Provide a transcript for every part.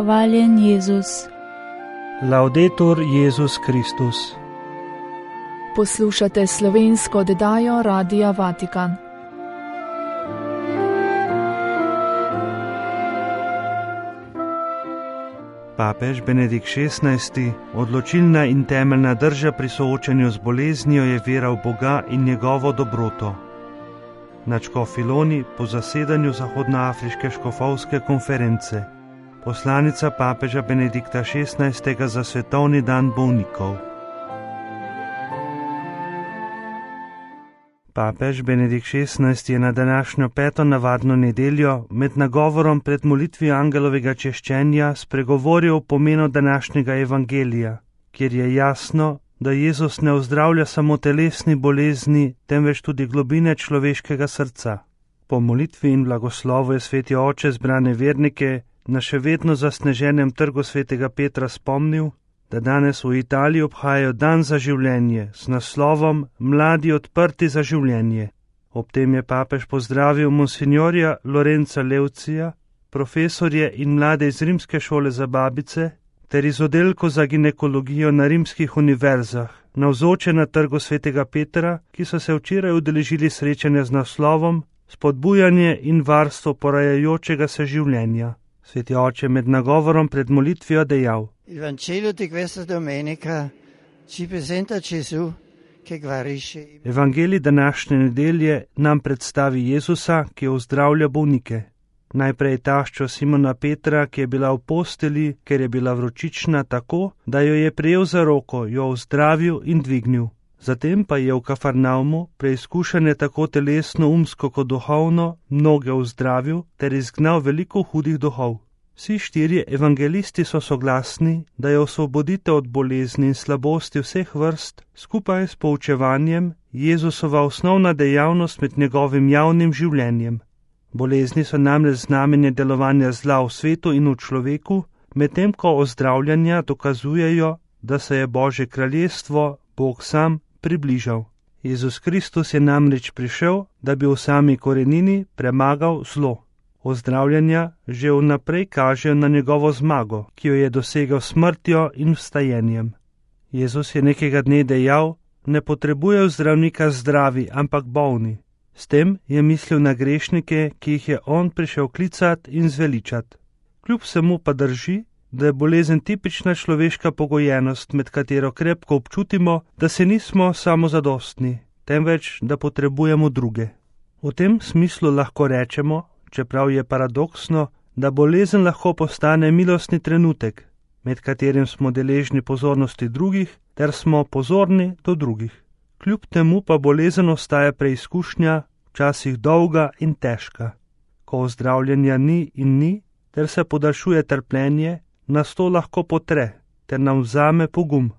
Hvaljen Jezus. Laudetur Jezus Kristus. Poslušate slovensko oddajo Radia Vatikan. Papež Benedikt XVI, odločilna in temeljna drža pri soočanju z boleznijo je vera v Boga in njegovo dobroto. Na Škofiloni po zasedanju Zahodnoafriške škofovske konference. Poslanica papeža Benedikta XVI za svetovni dan bolnikov. Papež Benedikt XVI je na današnjo 5. navadno nedeljo med nagovorom pred molitvijo angelovega češčenja spregovoril o pomenu današnjega evangelija, kjer je jasno, da Jezus ne ozdravlja samo telesni bolezni, temveč tudi globine človeškega srca. Po molitvi in blagoslovu je sveti oče zbrane vernike na še vedno zasneženem trgu svetega Petra spomnil, da danes v Italiji obhajajo dan za življenje s naslovom Mladi odprti za življenje. Ob tem je papež pozdravil monsignorja Lorenza Leucija, profesorje in mlade iz rimske šole za babice ter iz oddelka za ginekologijo na rimskih univerzah, navzoče na trgu svetega Petra, ki so se včeraj udeležili srečanja z naslovom Spodbujanje in varstvo porajajočega se življenja. Sveti oče med nagovorom pred molitvijo dejal: Il Vangelo di questa domenica ci presenta Gesù che guarisce. Evangelij današnje nedelje nam predstavi Jezusa, ki ozdravlja bolnike. Najprej taščo Simona Petra, ki je bila v posteli, ker je bila vročična, tako, da jo je prijel za roko, jo ozdravil in dvignil. Zatem pa je v Kafarnaumu, preizkušene tako telesno, umsko kot duhovno, mnoge ozdravil ter izgnal veliko hudih duhov. Vsi štirje evangelisti so soglasni, da je osvoboditev od bolezni in slabosti vseh vrst, skupaj s poučevanjem, Jezusova osnovna dejavnost med njegovim javnim življenjem. Bolezni so namreč znamenje delovanja zla v svetu in v človeku, medtem ko ozdravljanja dokazujejo, da se je Božje kraljestvo, Bog sam, približal. Jezus Kristus je namreč prišel, da bi v sami korenini premagal zlo. Ozdravljanja že vnaprej kažejo na njegovo zmago, ki jo je dosegel smrtjo in vstajenjem. Jezus je nekega dne dejal: ne potrebujejo zdravnika zdravi, ampak bolni. S tem je mislil na grešnike, ki jih je on prišel klicat in zveličat. Kljub vsemu pa drži, da je bolezen tipična človeška pogojenost, med katero krepko občutimo, da se nismo samozadostni, temveč da potrebujemo druge. V tem smislu lahko rečemo, čeprav je paradoksno, da bolezen lahko postane milostni trenutek, med katerim smo deležni pozornosti drugih ter smo pozorni do drugih. Kljub temu pa bolezen ostaja preizkušnja, včasih dolga in težka. Ko ozdravljenja ni in ni, ter se podaljšuje trpljenje, nas to lahko potre, ter nam vzame pogum.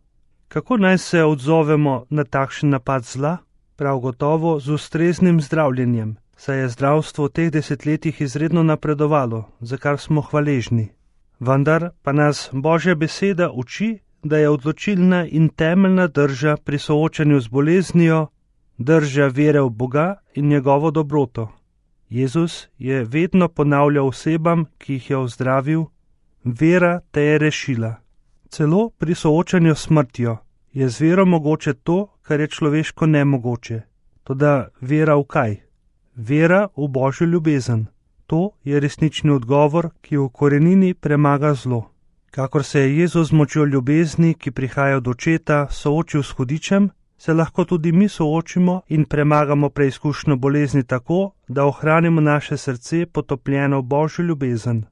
Kako naj se odzovemo na takšen napad zla? Prav gotovo z ustreznim zdravljenjem, saj je zdravstvo v teh desetletjih izredno napredovalo, za kar smo hvaležni. Vendar pa nas Božja beseda uči, da je odločilna in temeljna drža pri soočanju z boleznijo, drža vere v Boga in njegovo dobroto. Jezus je vedno ponavljal osebam, ki jih je ozdravil: vera te je rešila. Celo pri soočanju s smrtjo je z vero mogoče to, kar je človeško nemogoče. Toda vera v kaj? Vera v Božjo ljubezen. To je resnični odgovor, ki v korenini premaga zlo. Kakor se je Jezus z močjo ljubezni, ki prihaja od Očeta, soočil s hudičem, se lahko tudi mi soočimo in premagamo preizkušnjo bolezni tako, da ohranimo naše srce potopljeno v Božjo ljubezen.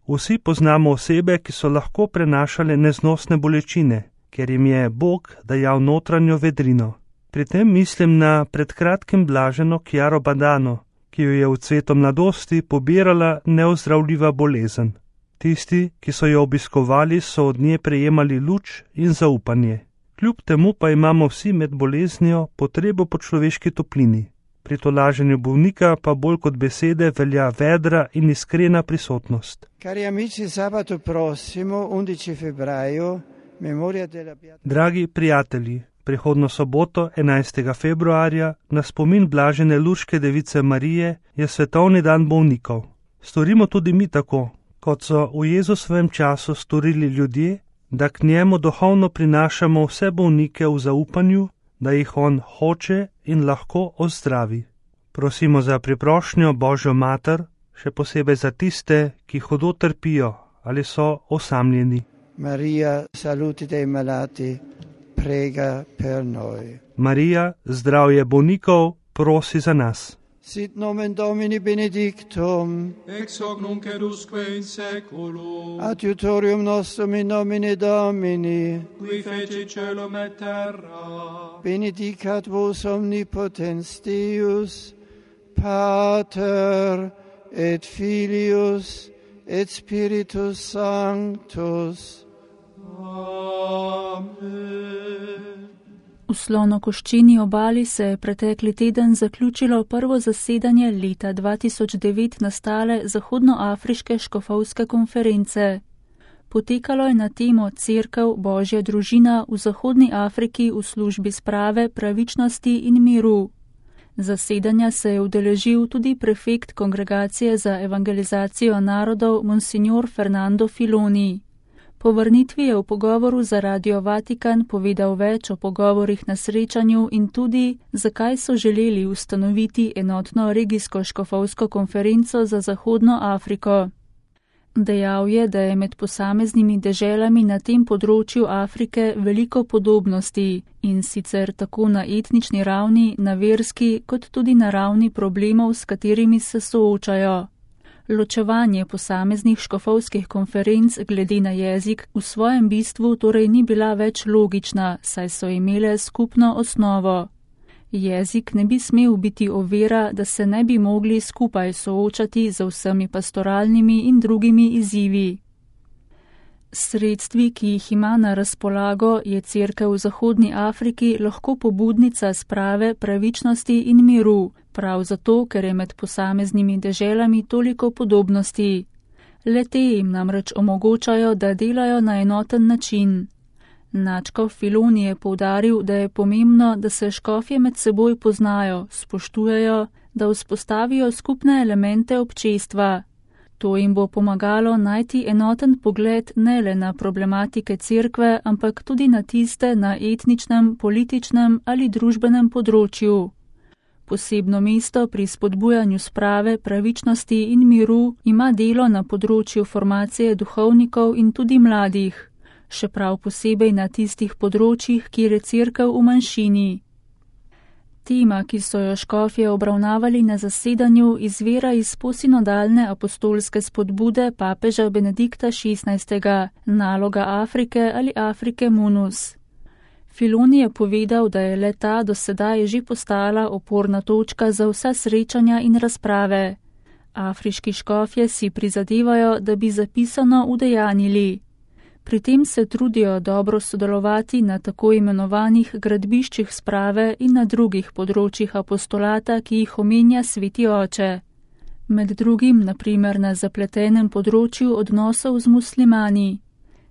Vsi poznamo osebe, ki so lahko prenašale neznosne bolečine, ker jim je Bog dajal notranjo vedrino. Pri tem mislim na pred kratkim blaženo Chiaro Badano, ki jo je v cvetu mladosti pobirala neozdravljiva bolezen. Tisti, ki so jo obiskovali, so od nje prejemali luč in zaupanje. Kljub temu pa imamo vsi med boleznijo potrebo po človeški toplini. Pri tolaženju bolnika pa bolj kot besede velja vedra in iskrena prisotnost. Cari amici, sabato prossimo, 11 febbraio, memoria della Beata. Dragi prijatelji, prihodno soboto, 11. februarja, na spomin blažene Lurške device Marije, je svetovni dan bolnikov. Storimo tudi mi tako, kot so v Jezusovem času storili ljudje, da k njemu duhovno prinašamo vse bolnike v zaupanju, da jih on hoče in lahko ozdravi. Prosimo za priprošnjo Božjo mater, še posebej za tiste, ki hudo trpijo ali so osamljeni. Maria, saluti dei malati, prega per noi. Marija, zdravje bolnikov, prosi za nas. Sit nomen Domini benedictum, ex hoc nunc et usque in saeculum, adiutorium nostrum in nomine Domini, qui feci caelum et terra. benedicat vos omnipotens Deus, Pater et Filius et Spiritus Sanctus. Amen. V Slonokoščeni obali se je pretekli teden zaključilo prvo zasedanje leta 2009 nastale Zahodnoafriške škofovske konference. Potekalo je na temo Cerkev, Božja družina v Zahodni Afriki v službi sprave, pravičnosti in miru. Zasedanja se je udeležil tudi prefekt Kongregacije za evangelizacijo narodov Monsignor Fernando Filoni. Po vrnitvi je v pogovoru za Radio Vatikan povedal več o pogovorih na srečanju in tudi, zakaj so želeli ustanoviti enotno regijsko škofovsko konferenco za Zahodno Afriko. Dejal je, da je med posameznimi deželami na tem področju Afrike veliko podobnosti in sicer tako na etnični ravni, na verski, kot tudi na ravni problemov, s katerimi se soočajo. Ločevanje posameznih škofovskih konferenc glede na jezik v svojem bistvu torej ni bila več logična, saj so imele skupno osnovo. Jezik ne bi smel biti ovira, da se ne bi mogli skupaj soočati z vsemi pastoralnimi in drugimi izzivi. Sredstvi, ki jih ima na razpolago, je Cerkev v Zahodni Afriki lahko pobudnica sprave, pravičnosti in miru, prav zato, ker je med posameznimi deželami toliko podobnosti. Le-te jim namreč omogočajo, da delajo na enoten način. Načkov Filoni je poudaril, da je pomembno, da se škofje med seboj poznajo, spoštujejo, da vzpostavijo skupne elemente občestva. To jim bo pomagalo najti enoten pogled ne le na problematike cerkve, ampak tudi na tiste na etničnem, političnem ali družbenem področju. Posebno mesto pri spodbujanju sprave, pravičnosti in miru ima delo na področju formacije duhovnikov in tudi mladih, še prav posebej na tistih področjih, kjer je cerkev v manjšini. Tema, ki so jo škofje obravnavali na zasedanju, izvira iz posinodalne apostolske spodbude papeža Benedikta XVI, naloga Afrike ali Afrike Munus. Filoni je povedal, da je le-ta do sedaj že postala oporna točka za vsa srečanja in razprave. Afriški škofje si prizadevajo, da bi zapisano udejanili. Pri tem se trudijo dobro sodelovati na tako imenovanih gradbiščih sprave in na drugih področjih apostolata, ki jih omenja Sveti Oče. Med drugim, naprimer na zapletenem področju odnosov z muslimani.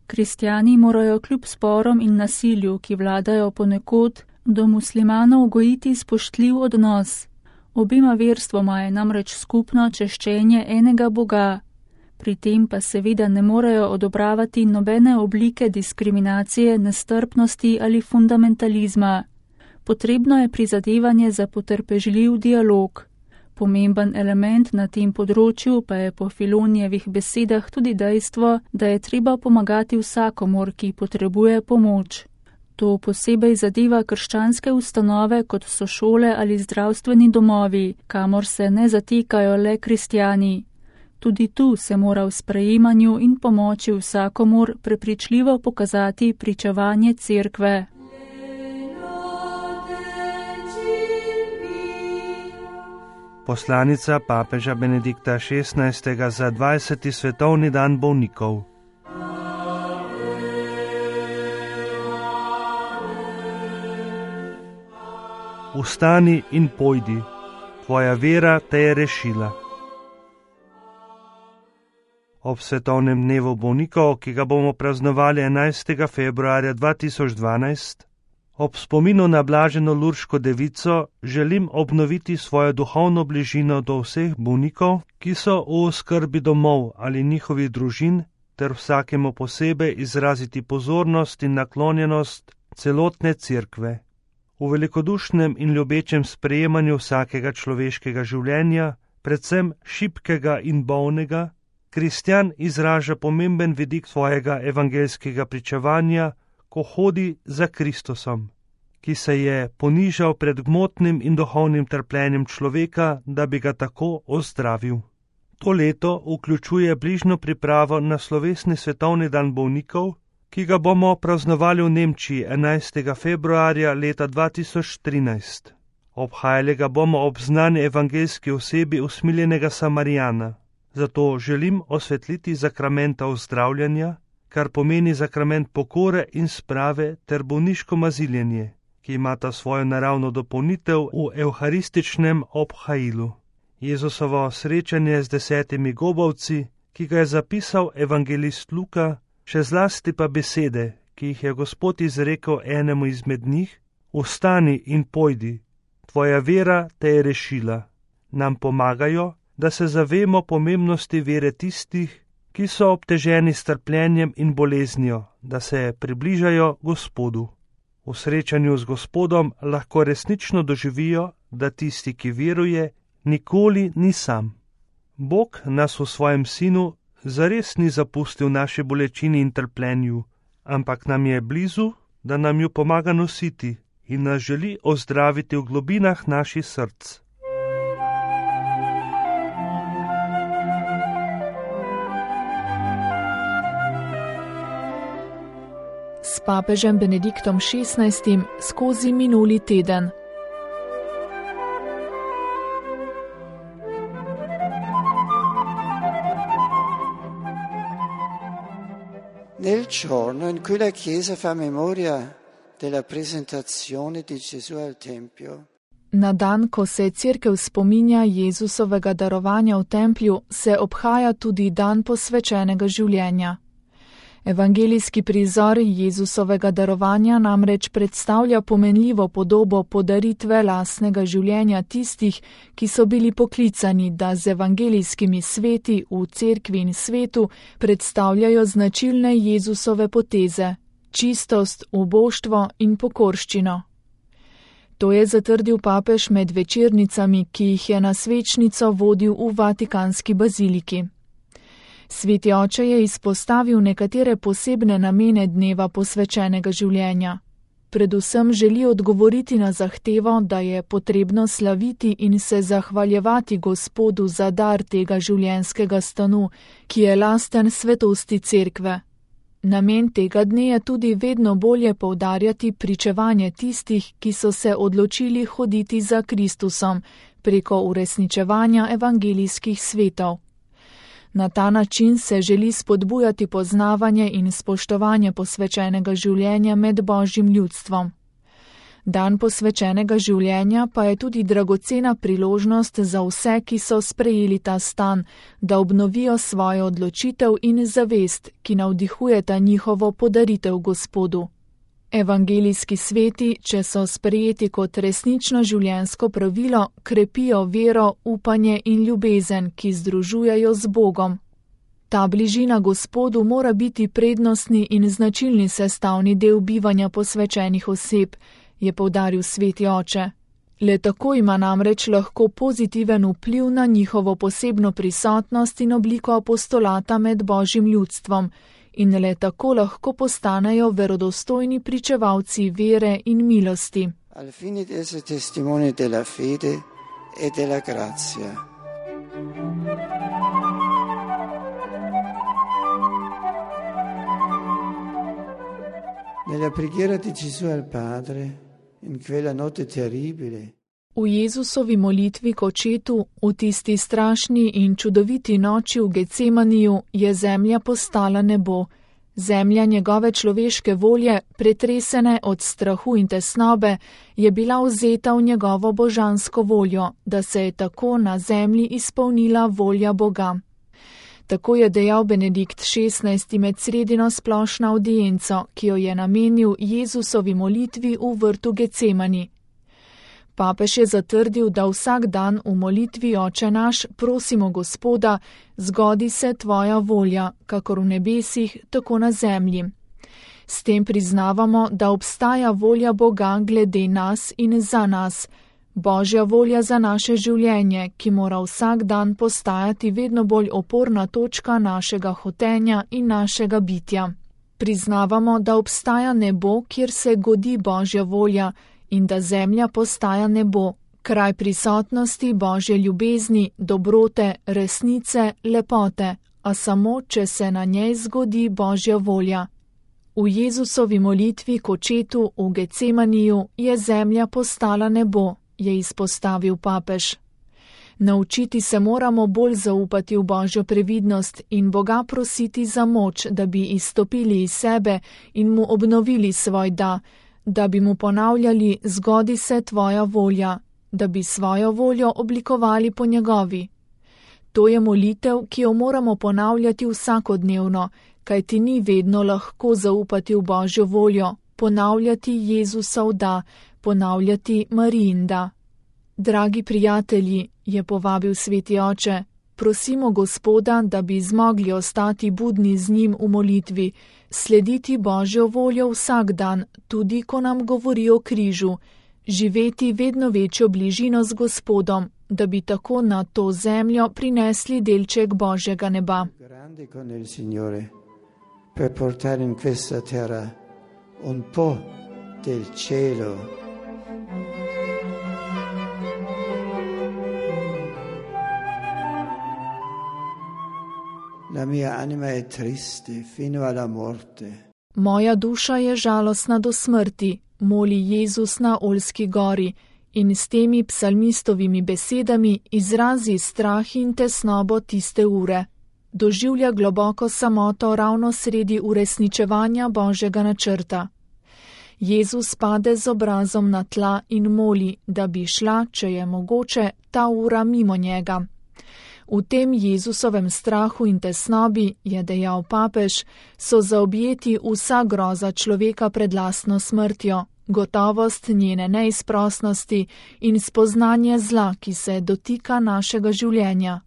Kristjani morajo kljub sporom in nasilju, ki vladajo ponekod, do muslimanov gojiti spoštljiv odnos. Obima verstvoma je namreč skupno češčenje enega Boga. Pri tem pa seveda ne morejo odobravati nobene oblike diskriminacije, nestrpnosti ali fundamentalizma. Potrebno je prizadevanje za potrpežljiv dialog. Pomemben element na tem področju pa je po Filonijevih besedah tudi dejstvo, da je treba pomagati vsakomur, ki potrebuje pomoč. To posebej zadeva krščanske ustanove, kot so šole ali zdravstveni domovi, kamor se ne zatekajo le kristjani. Tudi tu se mora v sprejemanju in pomoči vsakomur prepričljivo pokazati pričevanje cerkve. Poslanica papeža Benedikta XVI za 20. svetovni dan bolnikov. Vstani in pojdi, tvoja vera te je rešila. Ob svetovnem dnevu bolnikov, ki ga bomo praznovali 11. februarja 2012, Ob spominu na blaženo Lurško devico želim obnoviti svojo duhovno bližino do vseh bolnikov, ki so v oskrbi domov ali njihovih družin, ter vsakemu posebej izraziti pozornost in naklonjenost celotne cerkve. V velikodušnem in ljubečem sprejemanju vsakega človeškega življenja, predvsem šibkega in bolnega, kristjan izraža pomemben vidik svojega evangeljskega pričevanja, ko hodi za Kristusom, ki se je ponižal pred gmotnim in duhovnim trpljenjem človeka, da bi ga tako ozdravil. To leto vključuje bližnjo pripravo na slovesni svetovni dan bolnikov, ki ga bomo praznovali v Nemčiji 11. februarja leta 2013. Obhajali ga bomo ob znani evangeljski osebi usmiljenega Samarijana. Zato želim osvetliti sakramenta ozdravljanja, kar pomeni sakrament pokore in sprave ter bolniško maziljenje, ki imata svojo naravno dopolnitev v evharističnem obhajilu. Jezusovo srečanje z 10 gobavci, ki ga je zapisal evangelist Luka, še zlasti pa besede, ki jih je Gospod izrekel enemu izmed njih: Vstani in pojdi, tvoja vera te je rešila, nam pomagajo, da se zavemo pomembnosti vere tistih, ki so obteženi s trpljenjem in boleznijo, da se približajo Gospodu. V srečanju z Gospodom lahko resnično doživijo, da tisti, ki veruje, nikoli ni sam. Bog nas v svojem Sinu zares ni zapustil v naši bolečini in trpljenju, ampak nam je blizu, da nam jo pomaga nositi in nas želi ozdraviti v globinah naših src. S papežem Benediktom XVI skozi minuli teden. Nel giorno in cui la Chiesa fa memoria della presentazione di Gesù al Tempio. Na dan, ko se cerkev spominja Jezusovega darovanja v templju, se obhaja tudi dan posvečenega življenja. Evangelijski prizor Jezusovega darovanja namreč predstavlja pomenljivo podobo podaritve lastnega življenja tistih, ki so bili poklicani, da z evangelijskimi sveti v cerkvi in svetu predstavljajo značilne Jezusove poteze: čistost, uboštvo in pokorščino. To je zatrdil papež med večernicami, ki jih je na svečnico vodil v Vatikanski baziliki. Sveti oče je izpostavil nekatere posebne namene dneva posvečenega življenja. Predvsem želi odgovoriti na zahtevo, da je potrebno slaviti in se zahvaljevati Gospodu za dar tega življenjskega stanu, ki je lasten svetosti cerkve. Namen tega dne je tudi vedno bolje poudarjati pričevanje tistih, ki so se odločili hoditi za Kristusom preko uresničevanja evangelijskih svetov. Na ta način se želi spodbujati poznavanje in spoštovanje posvečenega življenja med Božjim ljudstvom. Dan posvečenega življenja pa je tudi dragocena priložnost za vse, ki so sprejeli ta stan, da obnovijo svojo odločitev in zavest, ki navdihujeta njihovo podaritev Gospodu. Evangelijski sveti, če so sprejeti kot resnično življenjsko pravilo, krepijo vero, upanje in ljubezen, ki združujejo z Bogom. Ta bližina Gospodu mora biti prednostni in značilni sestavni del bivanja posvečenih oseb, je poudaril sveti oče. Le tako ima namreč lahko pozitiven vpliv na njihovo posebno prisotnost in obliko apostolata med Božjim ljudstvom, in le tako lahko postanejo verodostojni pričevalci vere in milosti. Al fine di essere testimoni della fede e della grazia. Nella preghiera di Gesù al Padre, in quella notte terribile, v Jezusovi molitvi k Očetu, v tisti strašni in čudoviti noči v Getsemaniju, je zemlja postala nebo. Zemlja njegove človeške volje, pretresene od strahu in tesnobe, je bila vzeta v njegovo božansko voljo, da se je tako na zemlji izpolnila volja Boga. Tako je dejal Benedikt XVI med sredino splošno audienco, ki jo je namenil Jezusovi molitvi v vrtu Gecemani. Papež je zatrdil, da vsak dan v molitvi Oče naš prosimo Gospoda, zgodi se tvoja volja, kakor v nebesih, tako na zemlji. S tem priznavamo, da obstaja volja Boga glede nas in za nas, Božja volja za naše življenje, ki mora vsak dan postajati vedno bolj oporna točka našega hotenja in našega bitja. Priznavamo, da obstaja nebo, kjer se godi Božja volja, in da zemlja postaja nebo, kraj prisotnosti Božje ljubezni, dobrote, resnice, lepote, a samo, če se na njej zgodi Božja volja. V Jezusovi molitvi k Očetu v Gecemaniju je zemlja postala nebo, je izpostavil papež. Naučiti se moramo bolj zaupati v Božjo previdnost in Boga prositi za moč, da bi izstopili iz sebe in mu obnovili svoj da bi mu ponavljali, zgodi se tvoja volja, da bi svojo voljo oblikovali po njegovi. To je molitev, ki jo moramo ponavljati vsakodnevno, kajti ni vedno lahko zaupati v Božjo voljo, ponavljati Jezusov da, ponavljati Marijin da. Dragi prijatelji, je povabil sveti oče, prosimo Gospoda, da bi zmogli ostati budni z njim v molitvi, slediti Božjo voljo vsak dan, tudi ko nam govori o križu, živeti vedno večjo bližino z Gospodom, da bi tako na to zemljo prinesli delček Božjega neba. Per portare in questa terra un po' del cielo. La mia anima è triste fino alla morte. Moja duša je žalostna do smrti, moli Jezus na Oljski gori in s temi psalmistovimi besedami izrazi strah in tesnobo tiste ure. Doživlja globoko samoto ravno sredi uresničevanja Božjega načrta. Jezus pade z obrazom na tla in moli, da bi šla, če je mogoče, ta ura mimo njega. V tem Jezusovem strahu in tesnobi, je dejal papež, so zaobjeti vsa groza človeka pred lastno smrtjo, gotovost njene neizprosnosti in spoznanje zla, ki se dotika našega življenja.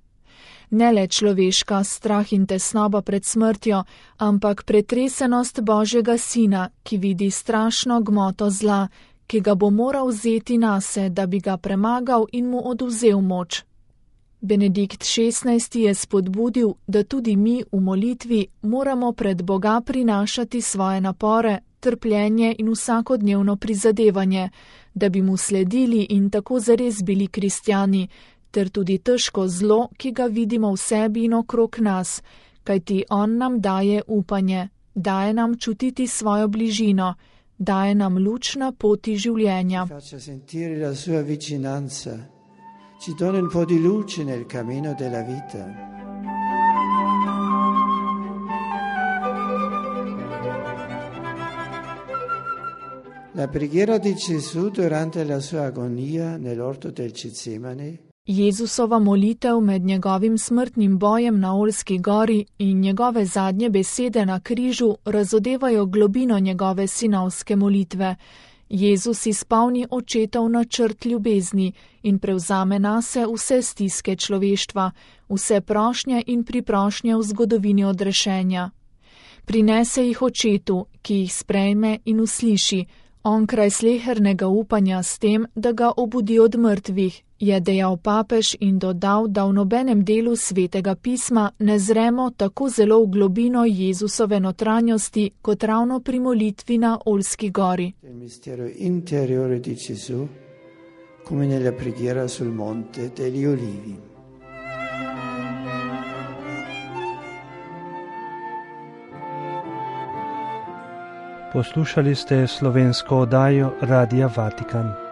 Ne le človeška strah in tesnoba pred smrtjo, ampak pretresenost Božjega Sina, ki vidi strašno gmoto zla, ki ga bo moral vzeti nase, da bi ga premagal in mu odvzel moč. Benedikt XVI je spodbudil, da tudi mi v molitvi moramo pred Boga prinašati svoje napore, trpljenje in vsakodnevno prizadevanje, da bi mu sledili in tako zares bili kristjani, ter tudi težko zlo, ki ga vidimo v sebi in okrog nas, kajti on nam daje upanje, daje nam čutiti svojo bližino, daje nam luč na poti življenja. Ci dona un po' di luce nel cammino della vita. La preghiera di Gesù durante la sua agonia nell'orto del Getsemani. Jezusova molitev med njegovim smrtnim bojem na Oljski gori in njegove zadnje besede na križu razodevajo globino njegove sinovske molitve. Jezus izpolni očetov načrt ljubezni in prevzame nase vse stiske človeštva, vse prošnje in priprošnje v zgodovini odrešenja. Prinese jih Očetu, ki jih sprejme in usliši, onkraj slehernega upanja s tem, da ga obudi od mrtvih, je dejal papež in dodal, da v nobenem delu Svetega pisma ne zremo tako zelo v globino Jezusove notranjosti, kot ravno pri molitvi na Oljski gori. Il mistero interiore di Gesù, come nella preghiera sul monte degli Olivi. Poslušali ste slovensko oddajo Radia Vatikan.